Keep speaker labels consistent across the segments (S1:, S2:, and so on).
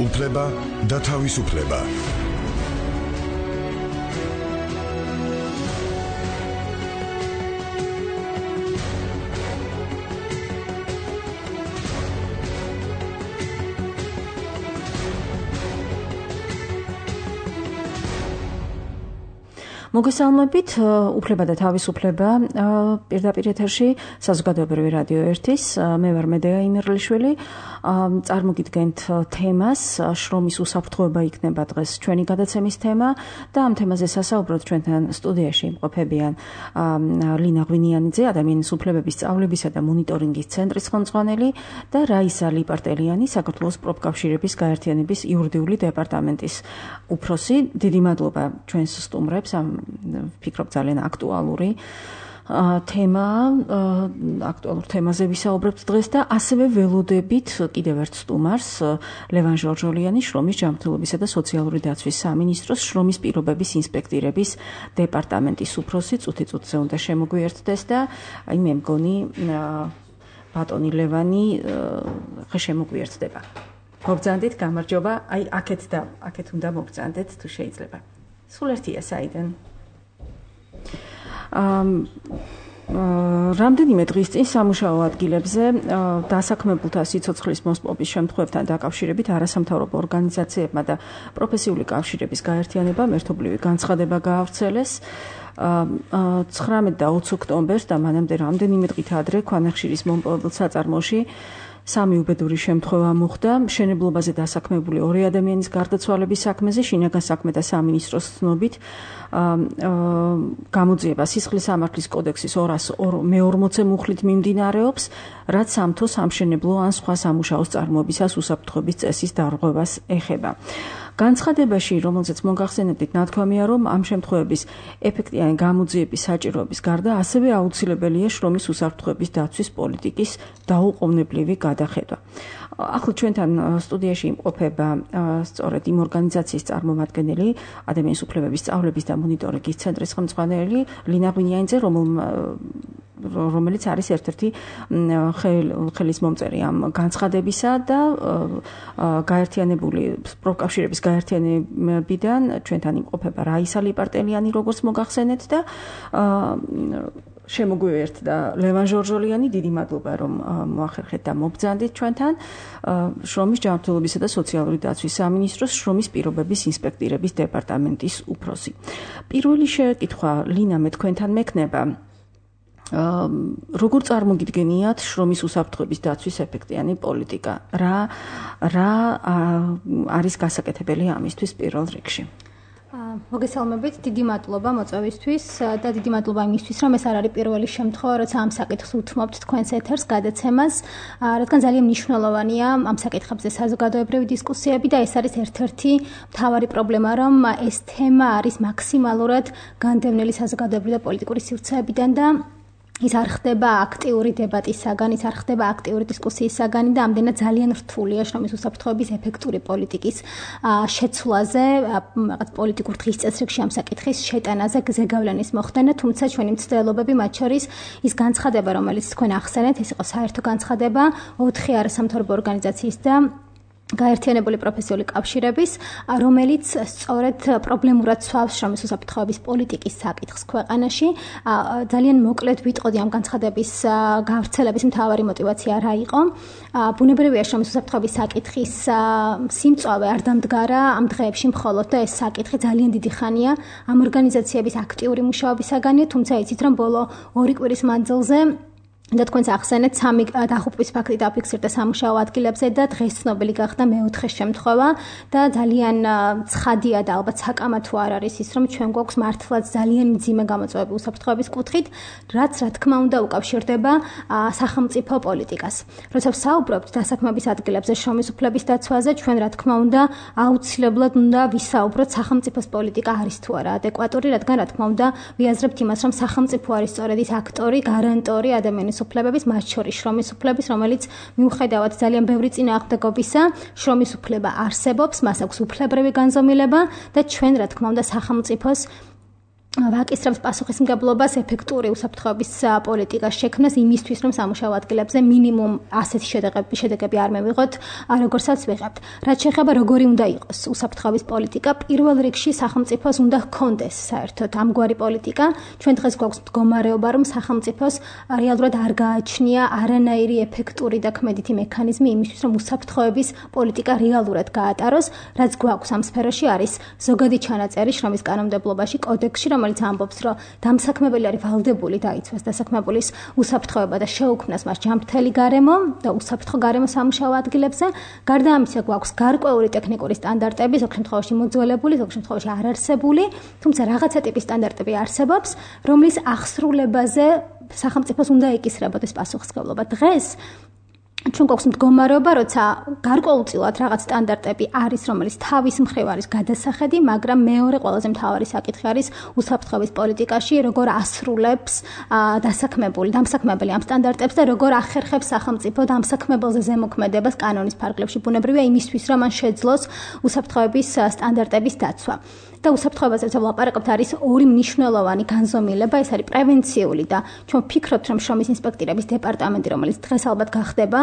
S1: უფლება და თავისუფლება.
S2: მოგესალმებით, უფლება და თავისუფლება პირდაპირ ეთერში საზოგადოებრივი რადიო 1-ის, მე ვარ მედეა იმერლიშვილი. წარმოგიდგენთ თემას, შრომის უსაფრთხოება იქნება დღეს ჩვენი გადაცემის თემა და ამ თემაზე სასაუბროთ ჩვენთან სტუდიაში იმყოფებიან ლინა ღვინიანიძე, ადამიანის უფლებების სწავლებისა და მონიტორინგის ცენტრის ხელმძღვანელი და რაისა ლიპარტელიანი, საქართველოს პროფკავშირების გაერთიანების იურიდიული დეპარტამენტის უფროსი. დიდი მადლობა ჩვენს სტუმრებს, ვფიქრობ ძალიან აქტუალური აქტუალურ თემაზე ვისაუბრებთ დღეს და ასევე ველოდებით კიდევ ერთ სტუმარს, ლევან ჟორჟოლიანი, შრომის ჯანმრთელობისა და სოციალური დაცვის სამინისტროს შრომის პირობების ინსპექტირების დეპარტამენტის უფროსი. წუთი-წუთზე უნდა შემოგვიერთდეს და მე მგონი ბატონი ლევანი შემოგვიერთდება. მოგზანდით, გამარჯობა. აქეთ უნდა მოგზანდეთ თუ შეიძლება. სულ ერთია საიდან. რამდენიმე დღის წინ სამუშაო ადგილებზე დასაქმებულთა სიცოცხლის მოსპობის შემთხვევებთან დაკავშირებით არასამთავრობო ორგანიზაციებმა და პროფესიული კავშირების გაერთიანებამ ერთობლივი განცხადება გაავრცელეს. 19 და 20 ოქტომბერს და მანამდე რამდენიმე დღით ადრე ქვანახშირის მომპოვებელ საწარმოში სამი უბედური შემთხვევა მოხდა. მშენებლობაზე დასაქმებული 2 ადამიანის გარდაცვალების საქმეზე შინაგან საქმეთა სამინისტროს ცნობით გამოძიება სისხლის სამართლის კოდექსის 240 მუხლით მიმდინარეობს, რაც სამთო სამშენებლო ან სხვა სამუშაოს წარმოებისას უსაფრთხოების წესის დარღვევას ეხება. განცხადებაში, რომელზეც მოგახსენებდით, ნათქვამია, რომ ამ შემთხვევების ეფექტიანი გამოძიების საჭიროების გარდა ასევე აუცილებელია შრომის უსაფრთხოების დაცვის პოლიტიკის დაუყოვნებლივი გადახედვა. ახლა ჩვენთან სტუდიაში იმყოფება სწორედ იმ ორგანიზაციის წარმომადგენელი, ადამიანის უფლებების სწავლების და მონიტორინგის ცენტრის ხელმძღვანელი ლინა ღვინიანიძე, რომელიც არის ერთ-ერთი ხელისმომწერი ამ განცხადებისა და გაერთიანებული პროფკავშირების გაერთიანებიდან ჩვენთან იმყოფება რაისა ლიპარტელიანი, როგორც მოგახსენეთ და შემოგვიერთდა ლევან ჟორჟოლიანი. დიდი მადლობა, რომ მოახერხეთ და მობრძანდით ჩვენთან. შრომის ჯანმრთელობისა და სოციალური დაცვის სამინისტროს შრომის პირობების ინსპექტირების დეპარტამენტის უფროსი. პირველი შეკითხვა, ლინა, მე თქვენთან მექნება. როგორ წარმოგიდგენიათ შრომის უსაფრთხოების დაცვის ეფექტიანი პოლიტიკა? რა არის გასაკეთებელი ამისთვის პირველ რიგში?
S3: მოგესალმებით, დიდი მადლობა მოწვევისთვის და დიდი მადლობა იმისთვის, რომ ეს არ არის პირველი შემთხვევა, როცა ამ საკითხს უთმობთ თქვენს ეთერს გადაცემას, რადგან ძალიან მნიშვნელოვანია ამ საკითხებზე საზოგადოებრივი დისკუსიები და ეს არის ერთ-ერთი მთავარი პრობლემა, რომ ეს თემა არის მაქსიმალურად განდევნილი საზოგადოებრივი და პოლიტიკური სივრცეებიდან და ის არ ხდება აქტიური დებატისაგან, ის არ ხდება აქტიური დისკუსიისაგან და ამდენად ძალიან რთულია შრომის უსაფრთხოების ეფექტური პოლიტიკის შეცვლაზე, რაღაც პოლიტიკურ დღის წესრიგში ამ საკითხის შეტანაზე ზეგავლენის მოხდენა, თუმცა ჩვენი მცდელობები, მათ შორის ის განცხადება, რომელიც თქვენ ახსენეთ, ეს იყო საერთო განცხადება 4 არასამთავრობო ორგანიზაციის და გაერთიანებული პროფესიული კავშირების, რომელიც სწორედ პრობლემურად ცვავს შრომის უსაფრთხოების პოლიტიკის საკითხს ქვეყანაში. ძალიან მოკლედ ვიტყოდი ამ განცხადების გავრცელების მთავარი мотиваცია რა იყო. ბუნებრივია შრომის უსაფრთხოების საკითხის სიმწვავე არ დამდგარა ამ დღეებში მხოლოდ და ეს საკითხი ძალიან დიდი ხანია ამ ორგანიზაციების აქტიური მუშაობისაგანია, თუმცა იცით, რომ ბოლო 2 კვირის მანძილზე და თქვენს ახსენეთ 3 დახუპვის ფაქტი დაფიქსირდა სამუშაო ადგილებზე და დღეს ცნობილი გახდა მეოთხე შემთხვევა და ძალიან ცხადია და ალბათ საკამათო არ არის ის, რომ ჩვენ გვაქვს მართლაც ძალიან მძიმე გამოწვევები უსაფრთხოების კუთხით, რაც რა თქმა უნდა უკავშირდება სახელმწიფო პოლიტიკას. როცა ვსაუბრობთ დასაქმების ადგილებზე შრომის უფლების დაცვაზე, ჩვენ რა თქმა უნდა აუცილებლად უნდა ვისაუბროთ სახელმწიფოს პოლიტიკა არის თუ არა ადეკვატური, რადგან რა თქმა უნდა ვიაზრებთ იმას, რომ სახელმწიფო არის სწორედ ის აქტორი, გარანტორი ადამიანის უფლებების, მათ შორის შრომის უფლების, რომელიც მიუხედავად ძალიან ბევრი წინააღმდეგობისა, შრომის უფლება არსებობს, მას აქვს უფლებრივი განზომილება და ჩვენ რა თქმა უნდა სახელმწიფოს ვაკისრებს პასუხისმგებლობას ეფექტური უსაფრთხოების პოლიტიკას შექმნას იმისთვის, რომ სამუშაო ადგილებზე მინიმუმ ასეთი შედეგები არ მივიღოთ, როგორცაც ვიღებთ. რაც შეეხება როგორი უნდა იყოს უსაფრთხოების პოლიტიკა, პირველ რიგში სახელმწიფოს უნდა ჰქონდეს საერთოდ ამგვარი პოლიტიკა. ჩვენ დღეს გვაქვს მდგომარეობა, რომ სახელმწიფოს რეალურად არ გააჩნია არანაირი ეფექტური და ქმედითი მექანიზმი იმისთვის, რომ უსაფრთხოების პოლიტიკა რეალურად გაატაროს. რაც გვაქვს ამ სფეროში არის ზოგადი ჩანაწერი შრომის კანონმდებლობაში, კოდექსში, რომელიც ამბობს, რომ დამსაქმებელი არის ვალდებული დაიცვას დასაქმებულის უსაფრთხოება და შეუქმნას მას ჯანმრთელი გარემო და უსაფრთხო გარემო სამუშაო ადგილებზე. გარდა ამისა, გვაქვს გარკვეული ტექნიკური სტანდარტები, ზოგ შემთხვევაში მოძველებული, ზოგ შემთხვევაში არარსებული, თუმცა რაღაცა ტიპის სტანდარტები არსებობს, რომლის აღსრულებაზე სახელმწიფოს უნდა ეკისრებოდეს პასუხისმგებლობა. დღეს ჩვენ გვაქვს მდგომარეობა, როცა გარკვეულწილად რაღაც სტანდარტები არის, რომელიც თავის მხრივ არის გადასახედი, მაგრამ მეორე ყველაზე მთავარი საკითხი არის უსაფრთხოების პოლიტიკაში, როგორ ასრულებს დამსაქმებელი ამ სტანდარტებს და როგორ ახერხებს სახელმწიფო დამსაქმებელზე ზემოქმედებას კანონის ფარგლებში. ბუნებრივია იმისთვის, რომ მან შეძლოს უსაფრთხოების სტანდარტების დაცვა. და უსაფრთხოებაზე ვლაპარაკობთ, არის ორი მნიშვნელოვანი განზომილება, ეს არის პრევენციული და ჩვენ ვფიქრობთ, რომ შრომის ინსპექტირების დეპარტამენტი, რომელიც დღეს ალბათ გახდება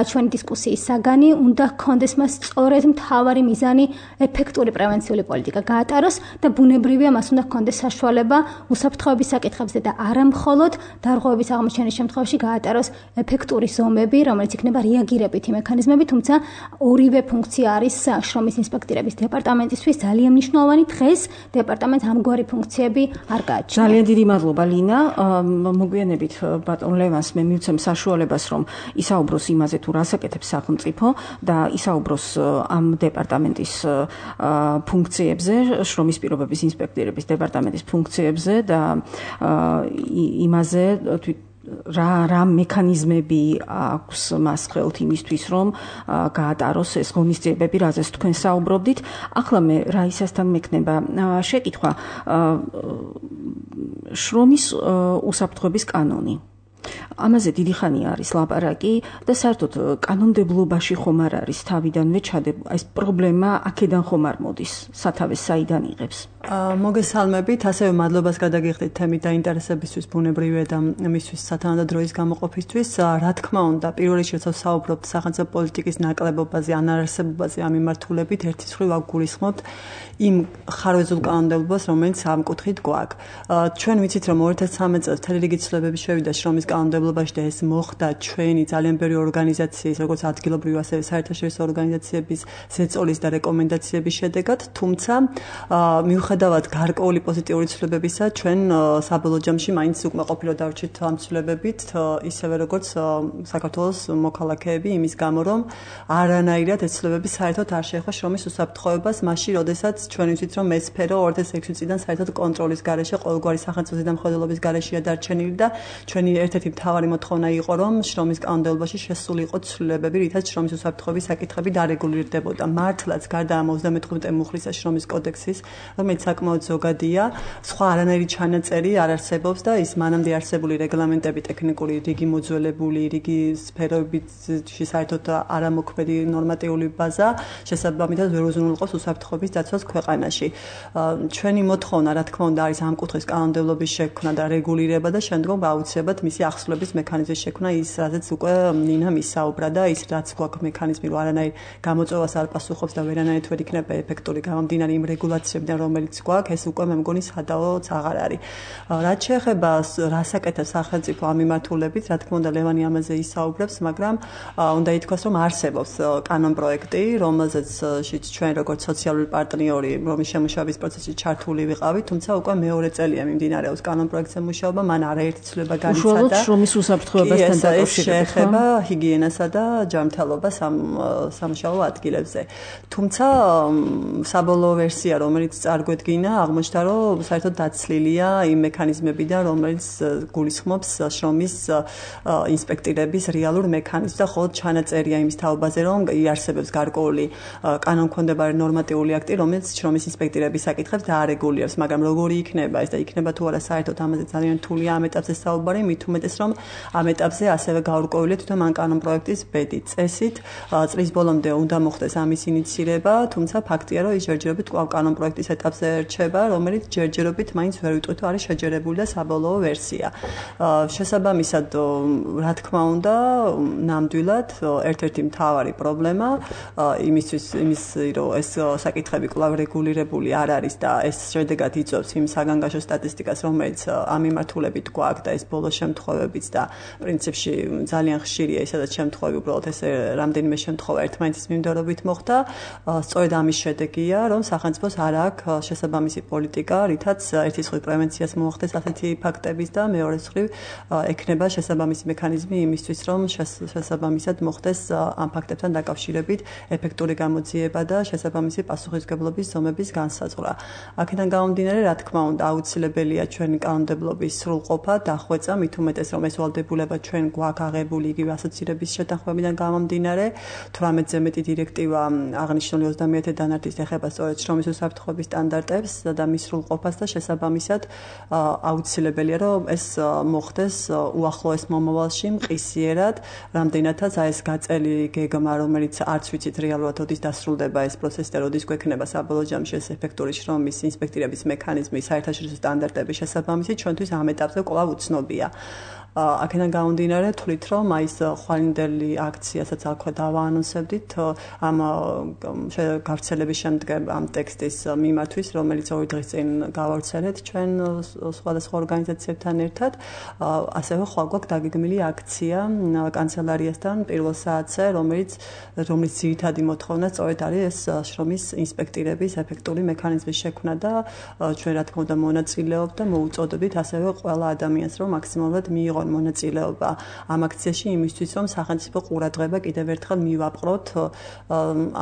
S3: ჩვენი დისკუსიის საგანი, უნდა ჰქონდეს მას სწორედ მთავარი მიზანი ეფექტური პრევენციული პოლიტიკა გაატაროს და ბუნებრივია მას უნდა ჰქონდეს საშუალება უსაფრთხოების საკითხებზე და არა მხოლოდ დარღვევების აღმოჩენის შემთხვევაში გაატაროს ეფექტური ზომები, რომელიც იქნება რეაგირებითი მექანიზმები, თუმცა ორივე ფუნქცია არის შრომის ინსპექტირების დეპარტამენტისთვის ძალიან მნიშვნელოვანი. დღეს დეპარტამენტს ამგვარი ფუნქციები არ გააჩნია.
S2: ძალიან დიდი მადლობა ლინა. მოგვიანებით ბატონ ლევანს მე მივცემ საშუალებას, რომ ისაუბროს იმაზე, თუ რას აკეთებს სახელმწიფო და ისაუბროს ამ დეპარტამენტის ფუნქციებზე, შრომის პირობების ინსპექტირების დეპარტამენტის ფუნქციებზე და იმაზე რა მექანიზმები აქვს მას ხელთ იმისთვის, რომ გაატაროს ეს ღონისძიებები, რაზეც თქვენ საუბრობდით. ახლა მე რაისასთან მექნება შეკითხვა შრომის უსაფრთხოების კანონი. ამაზე დიდი ხანი არის ლაპარაკი და საერთოდ კანონმდებლობაში ხომ არ არის თავიდანვე ეს პრობლემა აქედან ხომ არ მოდის, სათავეს საიდან იღებს?
S4: მოგესალმებით, ასევე მადლობას გადაგიხდით თემით დაინტერესებისთვის, ბუნებრივია და მისთვის სათანადო გამოყოფისთვის. რა თქმა უნდა, პირველ რიგში როცა ვსაუბრობთ სახელმწიფო პოლიტიკის ნაკლებობაზე, ანარსებობაზე, ამ მიმართულებით, ერთის მხრივ ვაგულისხმობთ იმ ხარვეზულ კანონმდებლობას, რომელიც ამ კუთხით გვაქვს. ჩვენ ვიცით, რომ 2013 წელს მთელი რიგი ცვლილებები შევიდა შრომის კანონმდებლობაში და ეს მოხდა ჩვენი ძალიან ბევრი ორგანიზაციის, როგორც ადგილობრივი, ასევე საერთაშორისო ორგანიზაციების ზეწოლის და რეკომენდაციების შედეგად, თუმცა მიუხედავად გარკვეული პოზიტიური ცვლილებებისა, ჩვენ საბოლოო ჯამში მაინც უკმაყოფილო დავრჩით ამ ცვლილებებით, ისევე როგორც საქართველოს მოქალაქეები, იმის გამო, რომ არანაირად ეს ცვლილებები საერთოდ არ შეეხება შრომის უსაფრთხოებას, მაშინ, როდესაც ჩვენ ვიცით, რომ ეს სფერო 2006 წლიდან საერთოდ კონტროლის გარეშე, ყოველგვარი სახელმწიფო ზედამხედველობის გარეშეა დარჩენილი და ჩვენი ერთ-ერთი მთავარი მოთხოვნა იყო, რომ შრომის კანონმდებლობაში შესული იყო ცვლილებები, რითაც შრომის უსაფრთხოების საკითხები დარეგულირდებოდა. მართლაც გარდა ამ 35 მუხლისა შრომის კოდექსის, რომელიც საკმაოდ ზოგადია, სხვა არანაირი ჩანაწერი არ არსებობს და ის მანამდე არსებული რეგლამენტები, ტექნიკური რიგი მოძველებული, რიგი სფეროებითში საერთოდ არამოქმედი ნორმატიული ბაზა შესაბამისად ვერ უზრუნველყოფს უსაფრთხოების დაცვას ქვეყანაში. ჩვენი მოთხოვნა, რა თქმა უნდა, არის ამ კუთხის კანონმდებლობის შექმნა და რეგულირება და შემდგომ აუცილებლად მისი ახსნების მექანიზმის შექმნა, ის რაზეც უკვე ნინამ ისაუბრა და ის რაც გვაქვს მექანიზმი, რომ არანაირ გამოწვევას არ პასუხობს და ვერანაირად ვერ იქნება ეფექტური გამომდინარე იმ რეგულაციებიდან, რომელიც გვაქვს, ეს უკვე მე მგონი სადაოც აღარ არის. რაც შეეხება რას აკეთებს სახელმწიფო ამ მიმართულებით, რა თქმა უნდა, ლევანი ამაზე ისაუბრებს, მაგრამ უნდა ითქვას, რომ არსებობს კანონპროექტი, რომელზეც ჩვენ როგორც სოციალური პარტნიორი რომის შემუშავების პროცესში ჩართული ვიყავით, თუმცა უკვე მეორე წელია მიმდინარეობს კანონპროექტზე მუშაობა, მან არაერთი ცვლილება განიცადა.
S2: უშუალოდ შრომის უსაფრთხოებასთან
S4: დაკავშირებით შეეხება ჰიგიენასა და ჯანმრთელობას სამუშაო ადგილებზე. თუმცა საბოლოო ვერსია, რომელიც წარგვედგინა, აღმოჩნდა, რომ საერთოდ დაცლილია იმ მექანიზმებიდან, რომელიც გულისხმობს შრომის ინსპექტირების რეალურ მექანიზმს და ხოლმე ჩანაწერია იმის თაობაზე, რომ იარსებებს გარკვეული კანონქვემდებარე ნორმატიული აქტი, რომელიც შრომის ინსპექტირების საკითხებს დაარეგულირებს, მაგრამ როგორი იქნება ეს და იქნება თუ არა საერთოდ ამაზე ძალიან რთულია ამ ეტაპზე საუბარი, მით უმეტეს რომ ამ ეტაპზე ასევე გაურკვევლია თვითონ ამ კანონპროექტის ბედი. წესით წლის ბოლომდე უნდა მოხდეს ამის ინიციირება, თუმცა ფაქტია, რომ ის ჯერჯერობით კანონპროექტის ეტაპზე პროცესზე რჩება, რომელიც ჯერჯერობით მაინც ვერ ვიტყვით, არის შეჯერებული და საბოლოო ვერსია. შესაბამისად, რა თქმა უნდა, ნამდვილად ერთ-ერთი მთავარი პრობლემა იმის რომ ეს საკითხები კვლავ რეგულირებული არ არის და ეს შედეგად იწვევს იმ საგანგაშო სტატისტიკას, რომელიც ამ მიმართულებით გვაქვს და ეს ბოლო შემთხვევებიც და პრინციპში ძალიან ხშირია ისედაც შემთხვევები, უბრალოდ ეს რამდენიმე შემთხვევა ერთმანეთის მიმდევრობით მოხდა. სწორედ ამის შედეგია, რომ სახელმწიფოს არ აქვს შესაბამისი პოლიტიკა, რითაც ერთის მხრივ პრევენციას მოახდეს ასეთი ფაქტების და მეორეს მხრივ ექნება შესაბამისი მექანიზმი იმისთვის, რომ შესაბამისად მოხდეს ამ ფაქტებთან დაკავშირებით ეფექტური გამოძიება და შესაბამისი პასუხისმგებლობის ზომების განსაზღვრა. აქედან გამომდინარე, რა თქმა უნდა, აუცილებელია ჩვენი კანონმდებლობის სრულყოფა, დახვეწა, მით უმეტეს რომ ეს ვალდებულება ჩვენ გვაქვს აღებული იგივე ასოცირების შეთანხმებიდან გამომდინარე, 18-ზე მეტი დირექტივა აღნიშნული 30-ე დანართის ეხება სწორედ შრომის უსაფრთხოების სტანდარტებს და მის სრულყოფას და შესაბამისად აუცილებელია რომ ეს მოხდეს უახლოეს მომავალში მყისიერად, რამდენადაც ეს გაწელი გეგმა, რომელიც არც ვიცით რეალურად როდის დასრულდება ეს პროცესი და როდის გვექნება საბოლოო ჯამში ეს ეფექტური შრომის ინსპექტირების მექანიზმი, საერთაშორისო სტანდარტების შესაბამისი, ჩვენთვის ამ ეტაპზე კვლავ უცნობია. აქედან გამომდინარე, თვლით რომ ის ხვალინდელი აქციასაც აქვე დავაანონსებდით ამ გავრცელების შემდგომ ამ ტექსტის მიმართვის, რომელიც 2 დღის წინ გავავრცელეთ ჩვენ სხვადასხვა ორგანიზაციებთან ერთად. ასევე ხვალ გვაქვს დაგეგმილი აქცია კანცელარიასთან პირველ საათზე, რომელიც ძირითადი მოთხოვნა სწორედ არის ეს შრომის ინსპექტირების ეფექტური მექანიზმის შექმნა და ჩვენ რა თქმა უნდა მონაწილეობთ და მოუწოდებით ასევე ყველა ადამიანს რომ მაქსიმალურად მიიღონ მონაწილეობა ამ აქციაში იმისთვის რომ სახელმწიფო ყურადღება კიდევ ერთხელ მივაპყროთ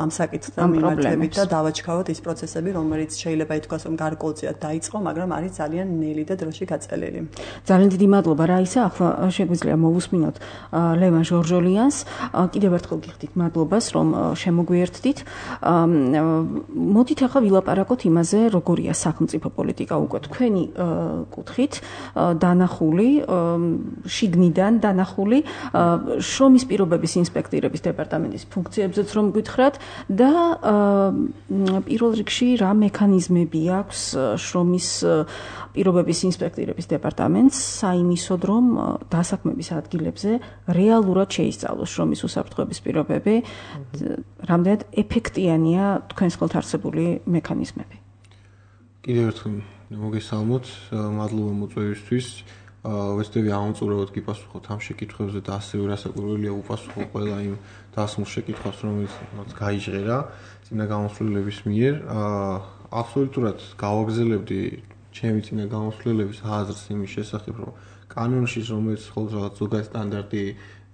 S4: ამ საკითხთან მიმართებით და დავაჩქაროთ ის პროცესები, რომელიც შეიძლება ითქვას რომ გარკვეულწილად დაიწყო, მაგრამ არის ძალიან ნელი და დროში გაწელილი.
S2: ძალიან დიდი მადლობა რაისა, ახლა შეგვიძლია მოვუსმინოთ ლევან ჟორჟოლიანს. კიდევ ერთხელ გიხდით მადლობას რომ შემოგვიერთდით. მოდით ახლა ვილაპარაკოთ იმაზე, როგორია სახელმწიფო პოლიტიკა უკვე თქვენი კუთხით დანახული, შიგნიდან დანახული შრომის პირობების ინსპექტირების დეპარტამენტის ფუნქციებზეც რომ გითხრათ და პირველ რიგში რა მექანიზმები აქვს შრომის პირობების ინსპექტირების დეპარტამენტს საიმისოდ რომ დასაქმების ადგილებზე რეალურად შეისწავლოს შრომის უსაფრთხოების პირობები, რამდენად ეფექტიანია თქვენს ხელთ არსებული მექანიზმები.
S5: კიდევ ერთხელ მოგესალმოთ, მადლობა მოწვევისთვის. ვეცდები ამოწურებოდ გიპასუხოთ ამ შეკითხვებზე და ასევე რასაკვირველია უპასუხო ყველა იმ დასმულ შეკითხვას, რომელიც გაიჟღერა წინა გამოსვლელების მიერ. აბსოლუტურად გავაგზავნებდი ჩემი წინა გამოსვლელების აზრს იმის შესახებ, რომ კანონში რომელიც ხოლმე რაღაც ზოგადად სტანდარტი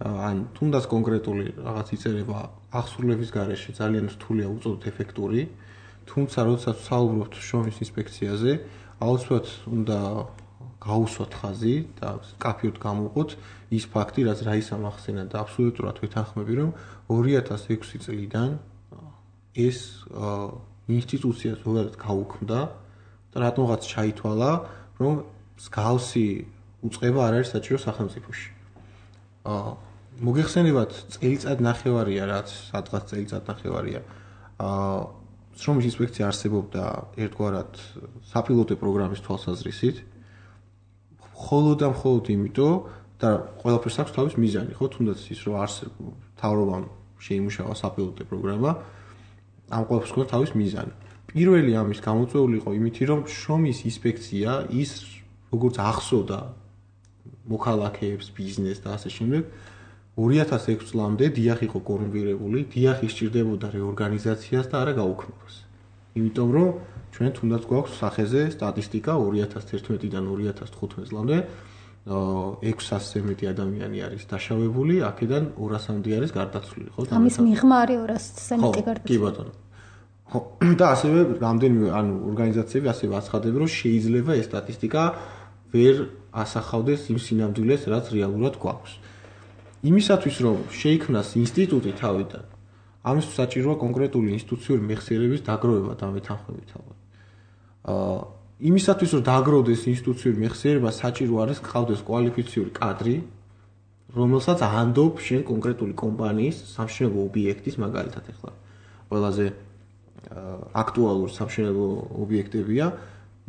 S5: ან თუნდაც კონკრეტული რაღაც იწერება აღსრულების გარეშე ძალიან რთულია უწოდოთ ეფექტური, თუმცა როდესაც საუბრობთ შრომის ინსპექციაზე, აუცილებლად უნდა გაუსვათ ხაზი და კაფეოდ გამოვყოთ ის ფაქტი, რაც რაისამ ახსენა და აბსოლუტურად ვეთანხმები, რომ 2006 წლიდან ეს ინსტიტუცია ზოგადად გაუქმდა და რატომღაც ჩაითვალა, რომ მსგავსი უწყება არ არის საჭირო სახელმწიფოში. მოგეხსენებათ წელიწად ნახევარია, რაც სადღაც წელიწად ნახევარია. შრომის ინსპექცია არსებობდა ერთგვარად საპილოტო პროგრამის თვალსაზრისით. მხოლოდ იმიტომ და ყველაფერს აქვს თავის მიზანი, ხო, თუნდაც ის რომ მთავრობამ შეიმუშავა საპილოტო პროგრამა, ამ ყველაფერს აქვს თავის მიზანი. პირველი ამის გამოწვეული იყო იმითი, რომ შრომის ინსპექცია ის როგორც ახსოვდა მოქალაქეებს, ბიზნესს და ასე შემდეგ 2006 წლამდე დიახ იყო კორუმპირებული, დიახ ისჭირდებოდა რეორგანიზაციას და არა გაუქმებას. იმიტომ რომ ჩვენ თუნდაც გვაქვს სახეზე სტატისტიკა 2011-დან 2015 წლამდე 600-ზე მეტი ადამიანი არის დაშავებული, აქედან 200-მდე არის გარდაცვლილი, ხო?
S3: ამის მიღმა არის 200-ზე მეტი გარდაცვლილი.
S5: კი ბატონო. ხო, და ასევე რამდენიმე ორგანიზაციები ასევე აცხადებენ, რომ შეიძლება ეს სტატისტიკა ვერ ასახავდეს იმ სინამდვილეს, რაც რეალურად გვაქვს. იმისათვის, რომ შეიქმნას ინსტიტუტი თავიდან, ამისთვის საჭიროა კონკრეტული ინსტიტუციური მეხსიერების დაგროვება და მეთანხმებით ალბათ. იმისათვის, რომ დაგროვდეს ინსტიტუციური მეხსიერება, საჭირო არის გყავდეს კვალიფიციური კადრი, რომელსაც ანდობ შენ კონკრეტული კომპანიის სამშენებლო ობიექტის მაგალითად ახლა ყველაზე აქტუალური სამშენებლო ობიექტებია,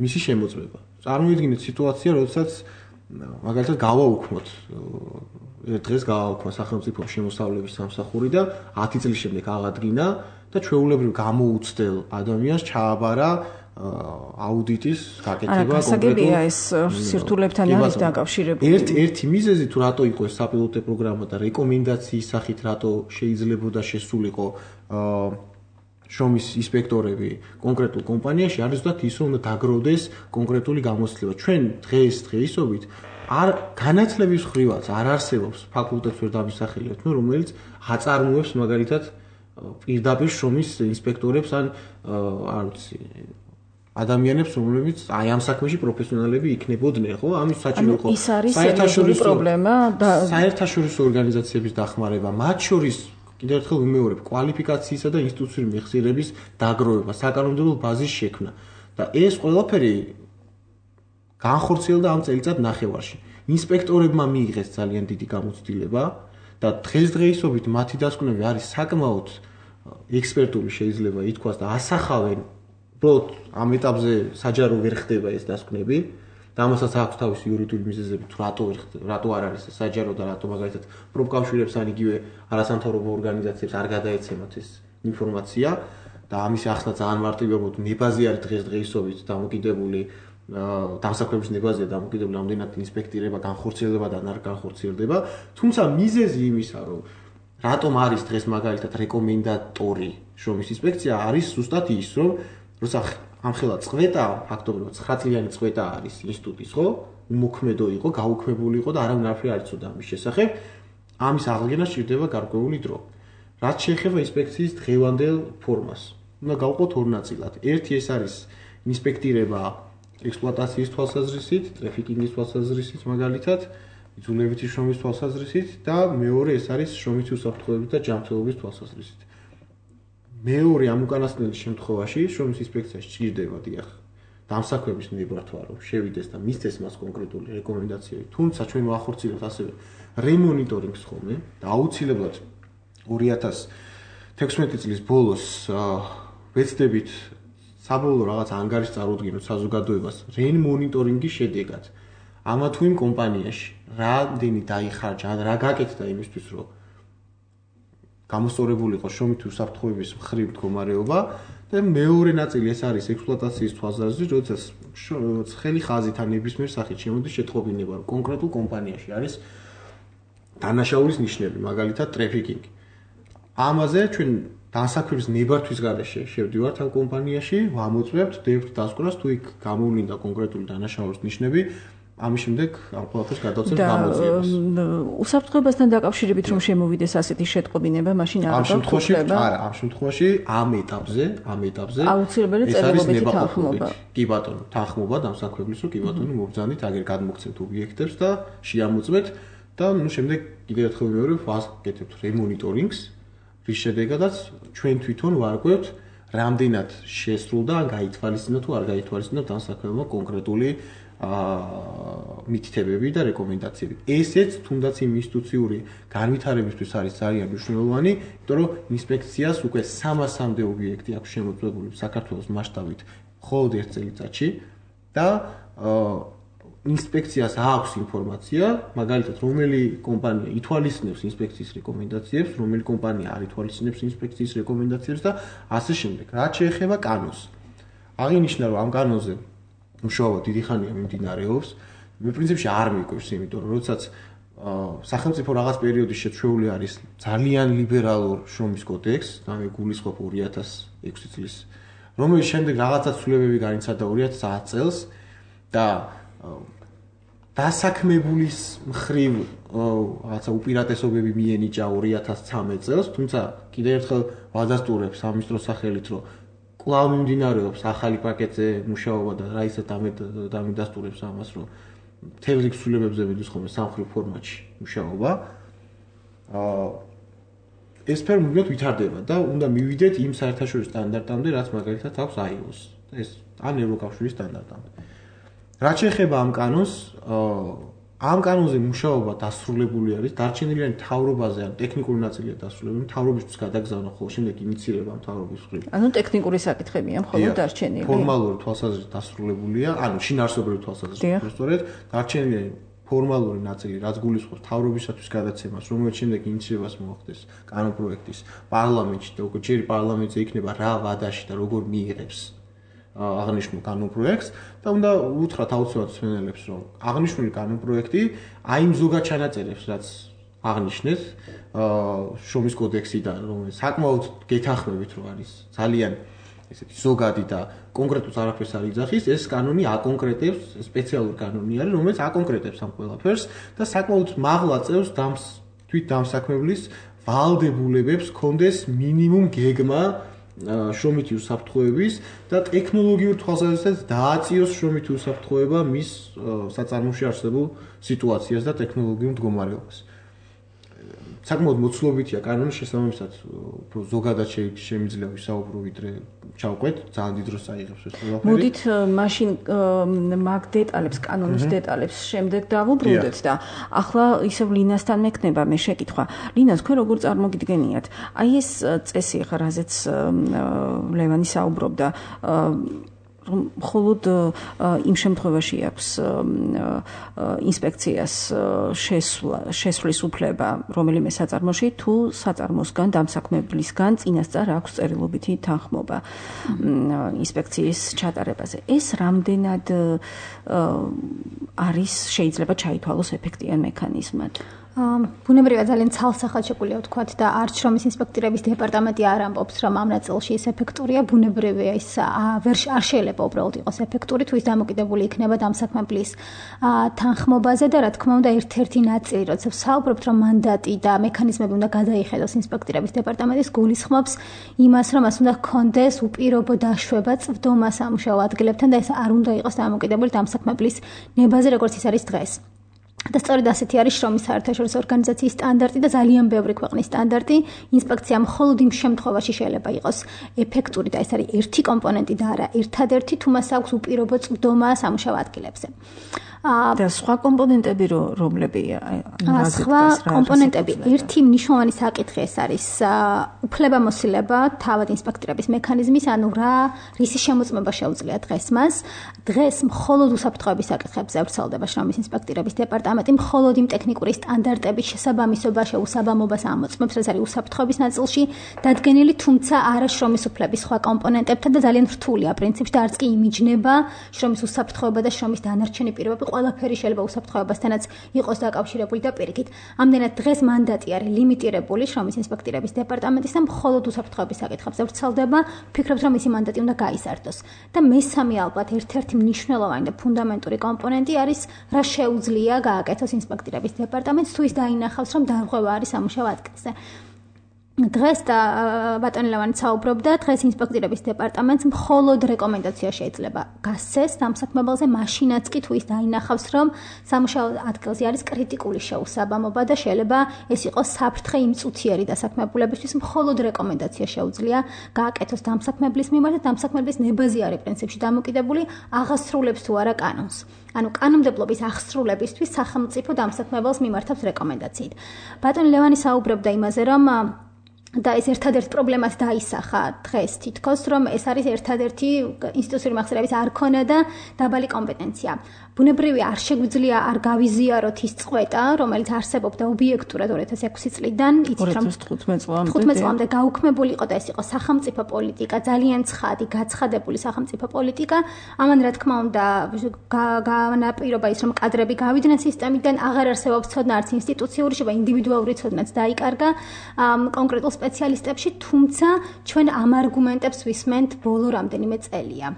S5: მისი შემოწმება. წარმოიდგინეთ სიტუაცია, როდესაც მაგალითად გავაუქმოთ დღეს გავაუქმა სახელმწიფო შემოსავლების სამსახური და 10 წლის შემდეგ აღადგინა და ჩვეულებრივ გამოუცდელ ადამიანს ჩააბარა აუდიტის გაკეთება
S2: კონკრეტულად ეს სირთულებთან არის დაკავშირებული.
S5: ერთი მიზეზი თუ რატო იყო ეს საპილოტო პროგრამა და რეკომენდაციის სახით რატო შეიძლებოდა შესულიყო შრომის ინსპექტორები კონკრეტულ კომპანიაში არის ზუსტად ის რომ უნდა დაგროვდეს კონკრეტული გამოცდილება. ჩვენ დღეისობით არ განათლების ხრივაც არ არსებობს ფაკულტეტს ვერ დამისახელებთ, რომელიც აწარმოებს მაგალითად პირდაპირ შრომის ინსპექტორებს ან არ ვიცი ადამიანებს, რომლებიც აი ამ საქმეში პროფესიონალები იქნებოდნენ, ხო? ამის საჭირო იყო
S2: საერთაშორისო პრობლემა და
S5: საერთაშორისო ორგანიზაციების დახმარება, მათ შორის კიდევ ერთხელ ვიმეორებ, კვალიფიკაციისა და ინსტიტუციური მეხსიერების დაგროვება, საკანონმდებლო ბაზის შექმნა და ეს ყველაფერი განხორციელდა ამ წელიწად ნახევარში. ინსპექტორებმა მიიღეს ძალიან დიდი გამოცდილება და დღესდღეობით მათი დასკვნები არის საკმაოდ ექსპერტული შეიძლება ითქვას და ასახავენ უბრალოდ ამ ეტაპზე საჯარო ვერ ხდება ეს დასკვნები და ამასაც აქვს თავისი იურიდიული მიზეზები თუ რატო არ არის საჯარო და რატო მაგალითად პროფკავშირებს ან იგივე არასამთავრობო ორგანიზაციებს არ გადაეცემათ ეს ინფორმაცია და ამის ახსნა ძალიან მარტივად ნებაზე არის დღესდღეობით დამოკიდებული დამსაქმების ნებაზია დამოკიდებული ამდენად ინსპექტირება განხორციელდება და არ განხორციელდება თუმცა მიზეზი იმისა რომ რატომ არის დღეს მაგალითად რეკომენდატორი შრომის ინსპექცია არის ზუსტად ის რომ როცა ამხელა წვეტა ფაქტობრივად 9 წლიანი წვეტა არის ინსტიტუტის ხო უმოქმედო იყო გაუქმებული იყო და არავინ არაფერი არ იცოდა ამის შესახებ ამის აღდგენა სჭირდება გარკვეული დრო რაც შეეხება ინსპექციის დღევანდელ ფორმას უნდა გავყოთ ორ ნაწილად ერთი ეს არის ინსპექტირება ექსპლუატაციის თვალსაზრისით ტრაფიკინგის თვალსაზრისით მაგალითად იძულებითი შრომის თვალსაზრისით და მეორე ეს არის შრომითი უსაფრთხოების და ჯანმრთელობის თვალსაზრისით მეორე ამ უკანასკნელის შემთხვევაში შრომის ინსპექციაში სჭირდება დიახ დამსაქმების ნებართვა რომ შევიდეს და მისცეს მას კონკრეტული რეკომენდაციები თუმცა ჩვენ ვახორციელებთ ასევე რემონიტორინგს ხოლმე და აუცილებლად 2016 წლის ბოლოს ვეცდებით საბოლოო რაღაც ანგარიშს წარუდგინოთ საზოგადოებას რემონიტორინგის შედეგად ამა თუ იმ კომპანიაში რამდენი დაიხარჯა ან რა გაკეთდა იმისთვის რომ გამოსწორებული იყო შრომითი უსაფრთხოების მხრივ მდგომარეობა და მეორე ნაწილი ეს არის ექსპლუატაციის თვალსაზრისით, როდესაც ცხელი ხაზით ან ნებისმიერ სახით შემოდის შეტყობინება, რომ კონკრეტულ კომპანიაში არის დანაშაულის ნიშნები, მაგალითად ტრაფიკინგი. ამაზე ჩვენ დასაქმების ნებართვის გარეშე შევდივართ ამ კომპანიაში, ვამოწმებთ დებთ დასკვნას თუ იქ გამოვლინდა კონკრეტული დანაშაულის ნიშნები. ამის შემდეგ ამ ყველაფერს გადავწევთ გამოძიებას.
S2: უსაფრთხოებასთან დაკავშირებით რომ შემოვიდეს ასეთი შეტყობინება, მაშინ არ
S5: გაგვხდება? არა, ამ შემთხვევაში ამ ეტაპზე
S2: აუცილებელი წერილობითი თანხმობა.
S5: კი ბატონო, თანხმობა დამსაქმებლის რო კი ბატონო მობრძანით, აგერ გადმოგცემთ ობიექტებს და შეამოწმეთ და ნუ შემდეგ კიდევ ერთხელ ვიმეორებ, ვაკეთებთ რემონიტორინგს, რის შედეგადაც ჩვენ თვითონ ვარკვევთ რამდენად შესრულდა ან გაითვალისწინა თუ არ გაითვალისწინა დამსაქმებელმა კონკრეტული მითითებები და რეკომენდაციები. ესეც თუნდაც იმ ინსტიტუციური განვითარებისთვის არის ძალიან მნიშვნელოვანი, იმიტომ რომ ინსპექციას უკვე 300-მდე ობიექტი აქვს შემოწმებული საქართველოს მასშტაბით მხოლოდ ერთ წელიწადში და ინსპექციას აქვს ინფორმაცია, მაგალითად, რომელი კომპანია ითვალისწინებს ინსპექციის რეკომენდაციებს, რომელი კომპანია არ ითვალისწინებს ინსპექციის რეკომენდაციებს და ასე შემდეგ. რაც შეეხება კანონს. აღინიშნა რომ ამ კანონზე მუშაობა დიდი ხანია მიმდინარეობს. მე პრინციპში არ მიკვირს, იმიტომ რომ როდესაც სახელმწიფო რაღაც პერიოდის შეჩვეული არის ძალიან ლიბერალურ შრომის კოდექსს, და მე გულისხმობ 2006 წლის, რომელიც შემდეგ რაღაცა ცვლილებები განიცადა 2009 წელს და დასაქმებულის მხრივ რაღაცა უპირატესობები მიენიჭა 2013 წელს, თუმცა კიდევ ერთხელ ვადასტურებს სამინისტროს სახელით, რომ კვლავ მიმდინარეობს ახალი პაკეტზე მუშაობა და რაისაც დამიდასტურებს ამას, რომ მთელ რიგ ცვლილებებზე მიდის ხოლმე სამხრივ ფორმატში მუშაობა. ეს ფერმულად ვითარდება და უნდა მივიდეთ იმ საერთაშორისო სტანდარტამდე, რაც მაგალითად აქვს ILO-ს. ეს ან ევროკავშირის სტანდარტამდე. რაც შეეხება ამ კანონს, ამ კანონზე მუშაობა დასრულებული არის, დარჩენილი მთავრობაზე ან ტექნიკური ნაწილია დასრულებული, მთავრობისთვის გადაგზავნა ხოლმე შემდეგ ინიცირება მთავრობის მხრივ.
S2: ანუ ტექნიკური საკითხებია მხოლოდ დარჩენილი.
S5: ფორმალური თვალსაზრისით დასრულებულია, ანუ შინაარსობრივი თვალსაზრისით სწორედ დარჩენილი ფორმალური ნაწილი, რაც გულისხმობს მთავრობისათვის გადაცემას, რომელიც შემდეგ ინიცირებას მოახდეს კანონპროექტის პარლამენტში და უკვე ჯერ პარლამენტზე იქნება რა ვადაში და როგორ მიიღებს აღნიშნულ კანონპროექტს და უნდა უთხრათ აუცილებლად მსმენელებს, რომ აღნიშნული კანონპროექტი აი იმ ზოგად ჩანაწერებს, რაც აღნიშნეთ შრომის კოდექსიდან, რომელიც საკმაოდ გეთანხმებით რომ არის ძალიან ესეთი ზოგადი და კონკრეტულს არაფერს არ იძახის, ეს კანონი აკონკრეტებს, სპეციალური კანონი არის, რომელიც აკონკრეტებს ამ ყველაფერს და საკმაოდ მაღლა წევს თვით დამსაქმებლის ვალდებულებებს კონდეს მინიმუმ გეგმა შრომითი უსაფრთხოების და ტექნოლოგიურ თვალსაზრისით დააწიოს შრომითი უსაფრთხოება მის საწარმოში არსებულ სიტუაციას და ტექნოლოგიურ მდგომარეობას. საკმაოდ მოცულობითია კანონის შესაბამისად, უფრო ზოგადად შემიძლია ვისაუბრო, ვიდრე ჩავყვეთ, ძალიან დიდ დროს აიღებს ეს ყველაფერი.
S2: მოდით მაშინ მაგ დეტალებს, კანონის დეტალებს შემდეგ დავუბრუნდეთ და ახლა ისევ ლინასთან მექნება მე შეკითხვა. ლინა, თქვენ როგორ წარმოგიდგენიათ? აი ეს წესი ახლა რაზეც ლევანი საუბრობდა, რომ მხოლოდ იმ შემთხვევაში აქვს ინსპექციას შესვლის უფლება რომელიმე საწარმოში, თუ საწარმოსგან, დამსაქმებლისგან წინასწარ აქვს წერილობითი თანხმობა ინსპექციის ჩატარებაზე. ეს რამდენად არის შეიძლება ჩაითვალოს ეფექტიან მექანიზმად?
S3: ბუნებრივად ძალიან ცალსახად შეგვიძლია ვთქვათ და არც შრომის ინსპექტორების დეპარტამენტი არ ამბობს, რომ ამ ნაწილში ეს ეფექტურია, ბუნებრივია ის არ შეიძლება უბრალოდ იყოს ეფექტური, თუ ის დამოკიდებული იქნება დამსაქმებლის თანხმობაზე და რა თქმა უნდა ერთ-ერთი ნაწილი, როცა ვსაუბრობთ, რომ მანდატი და მექანიზმები უნდა გადაიხედოს ინსპექტორების დეპარტამენტის, გულისხმობს იმას, რომ მას უნდა ჰქონდეს უპირობო დაშვება წვდომა სამუშაო ადგილებთან და ეს არ უნდა იყოს დამოკიდებული დამსაქმებლის ნებაზე, როგორც ის არის დღეს. და სწორედ ასეთი არის შრომის საერთაშორისო ორგანიზაციის სტანდარტი და ძალიან ბევრი ქვეყნის სტანდარტი. ინსპექცია მხოლოდ იმ შემთხვევაში შეიძლება იყოს ეფექტური და ეს არის ერთი კომპონენტი და არა ერთადერთი, თუ მას აქვს უპირობო წვდომა სამუშაო ადგილებზე.
S2: და სხვა კომპონენტები რომლებია?
S3: სხვა კომპონენტები, ერთი მნიშვნელოვანი საკითხი ეს არის უფლებამოსილება თავად ინსპექტორების მექანიზმის, ანუ რისი შემოწმება შეუძლია დღეს მას. დღეს მხოლოდ უსაფრთხოების საკითხებზე ვრცელდება შრომის ინსპექტორების დეპარტამენტი, მხოლოდ იმ ტექნიკური სტანდარტების შესაბამისობა შეუსაბამობას ამოწმებს, რაც არის უსაფრთხოების ნაწილში დადგენილი, თუმცა არა შრომის უფლების სხვა კომპონენტებთან და ძალიან რთულია პრინციპში და არც კი იმიჯნება შრომის უსაფრთხოება და შრომის დანარჩენი პირობები ყველაფერი შეიძლება უსაფრთხოებასთანაც იყოს დაკავშირებული და პირიქით. ამდენად დღეს მანდატი არის ლიმიტირებული შრომის ინსპექტორების დეპარტამენტის და მხოლოდ უსაფრთხოების საკითხებზე ვრცელდება. ვფიქრობთ, რომ მისი მანდატი უნდა გაიზარდოს. და მესამე ალბათ ერთ-ერთი მნიშვნელოვანი და ფუნდამენტური კომპონენტი არის რა შეუძლია გააკეთოს ინსპექტორების დეპარტამენტს, თუ ის დაინახავს, რომ დარღვევა არის სამუშაო ადგილზე. დღეს და ბატონი ლევანი საუბრობდა, დღეს ინსპექტორების დეპარტამენტს მხოლოდ რეკომენდაცია შეიძლება გასცეს დამსაქმებელზე, მაშინაც კი თუ ის დაინახავს, რომ სამუშაო ადგილზე არის კრიტიკული შეუსაბამობა და შეიძლება ეს იყოს საფრთხე იმ წუთიერი დასაქმებულებისთვის, მხოლოდ რეკომენდაცია შეუძლია გააკეთოს დამსაქმებლის მიმართ და დამსაქმებლის ნებაზე არის პრინციპში დამოკიდებული, აღასრულებს თუ არა კანონს. ანუ კანონმდებლობის აღსრულებისთვის სახელმწიფო დამსაქმებელს მიმართავს რეკომენდაციით. ბატონი ლევანი საუბრობდა იმაზე, რომ და ეს ერთადერთ პრობლემას დაისახა დღეს თითქოს, რომ ეს არის ერთადერთი ინსტიტუციური მახსიერების არ ქონა და დაბალი კომპეტენცია. ბუნებრივია არ შეგვიძლია არ გავიზიაროთ ის წყვეტა, რომელიც არსებობდა ობიექტურად 2006 წლიდან, იცით რომ 15 წლამდე გაუქმებული იყო და ეს იყო სახელმწიფო პოლიტიკა, ძალიან ცხადი, გაცხადებული სახელმწიფო პოლიტიკა. ამან რა თქმა უნდა განაპირობა ის, რომ კადრები გავიდნენ სისტემიდან, აღარ არსებობს ცოდნა არც ინსტიტუციური, შევა ინდივიდუალური ცოდნაც დაიკარგა კონკრეტულ სპეციალისტებში, თუმცა ჩვენ ამ არგუმენტებს ვისმენთ ბოლო რამდენიმე წელია.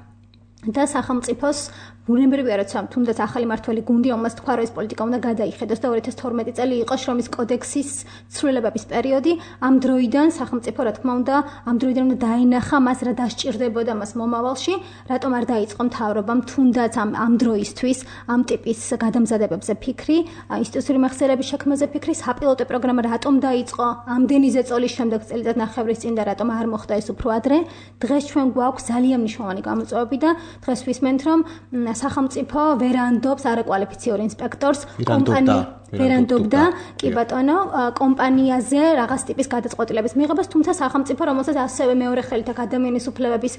S3: და სახელმწიფოს ბუნებრივია, როცა თუნდაც ახალი მართველი გუნდი, რომელსაც თქვა, რომ ეს პოლიტიკა უნდა გადაიხედოს და 2012 წელი იყო შრომის კოდექსის ცვლილებების პერიოდი, ამ დროიდან სახელმწიფო, რა თქმა უნდა, ამ დროიდან უნდა დაინახა მას რა დასჭირდებოდა მას მომავალში, რატომ არ დაიწყო მთავრობამ თუნდაც ამ დროისთვის ამ ტიპის გადამზადებებზე ფიქრი, ინსტიტუციური მეხსიერების შექმნაზე ფიქრი, საპილოტო პროგრამა რატომ დაიწყო ამდენი ზეწოლის შემდეგ წელიწად-ნახევრის წინ და რატომ არ მოხდა ეს უფრო ადრე. დღეს ჩვენ გვაქვს ძალიან მნიშვნელოვანი გამოწვევები და დღეს ვისმენთ, რომ სახელმწიფო ვერანდობს არაკვალიფიციური ინსპექტორს კომპანია ვერანდობდა კი ბატონო კომპანიაზე რაღაც ტიპის გადაწყვეტილების მიღებას, თუმცა სახელმწიფო, რომელსაც ასევე მეორე ხელით აქ ადამიანის უფლებების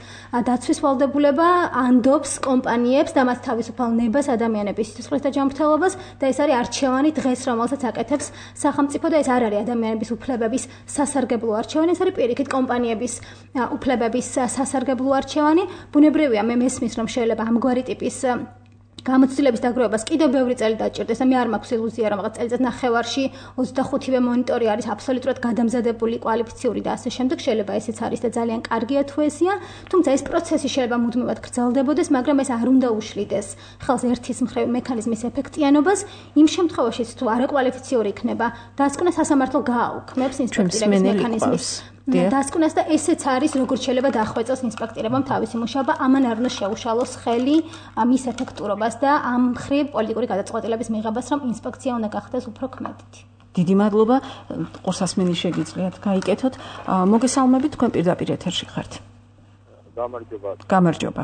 S3: დაცვის ვალდებულება ანდობს კომპანიებს და მათ თავისუფალ ნებას ადამიანების სიცოცხლეს და ჯანმრთელობას და ეს არის არჩევანი დღეს, რომელსაც აკეთებს სახელმწიფო და ეს არ არის ადამიანების უფლებების სასარგებლო არჩევანი, ეს არის პირიქით კომპანიების უფლებების სასარგებლო არჩევანი. ბუნებრივია, მე მესმის, რომ შეიძლება ამგვარი ტიპის გამოცდილების დაგროვებას კიდევ ბევრი წელი დაჭირდეს და მე არ მაქვს ილუზია, რომ რაღაც წელიწად ნახევარში 25-ვე მონიტორი არის აბსოლუტურად გადამზადებული, კვალიფიციური და ასე შემდეგ. შეიძლება ესეც არის და ძალიან კარგია თუ ესია, თუმცა ეს პროცესი შეიძლება მუდმივად გრძელდებოდეს, მაგრამ ეს არ უნდა უშლიდეს ხელს ერთის მხრივ მექანიზმის ეფექტიანობას. იმ შემთხვევაშიც თუ არაკვალიფიციური იქნება, დასკვნა სასამართლო გააუქმებს ინსპექტირების მექანიზმის დასკვნას და ესეც არის როგორც შეიძლება დახვეწოს ინსპექტირებამ თავისი მუშაობა, ამან არ უნდა შეუშალოს ხელი მის ეფექტურობას და ამ მხრივ პოლიტიკური გადაწყვეტილების მიღებას, რომ ინსპექცია უნდა გახდეს უფრო ქმედითი.
S2: დიდი მადლობა, ყურსასმენი შეგიძლიათ გაიკეთოთ. მოგესალმებით, თქვენ პირდაპირ ეთერში ხართ. გამარჯობა.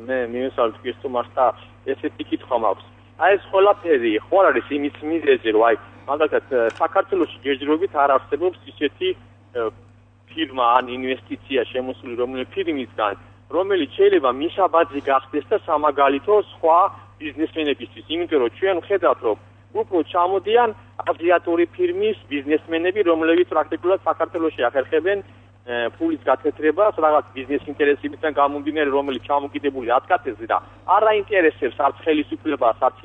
S6: მე მივესალმებით გესტუმარს და ესეთი კითხვა მაქვს. აი ეს ყველაფერი ხო არ არის იმის მიზეზი, რომ აი მაგალითად საქართველოში ჯერჯერობით არ არსებობს ისეთი ფირმა ან ინვესტიცია შემოსული რომელი ფირმისგან, რომელიც შეიძლება მისაბაძი გახდეს და სამაგალითო სხვა ბიზნესმენებისთვის, იმიტომ რომ ჩვენ ვხედავთ, რომ უფრო ჩამოდიან აზიატური ფირმის ბიზნესმენები, რომლებიც პრაქტიკულად საქართველოში ახერხებენ ფულის გათეთრებას რაღაც ბიზნეს ინტერესებიდან გამომდინარე, რომელიც ჩამოკიდებული ათკაცებზე და არ აინტერესებს არც ხელისუფლებას, არც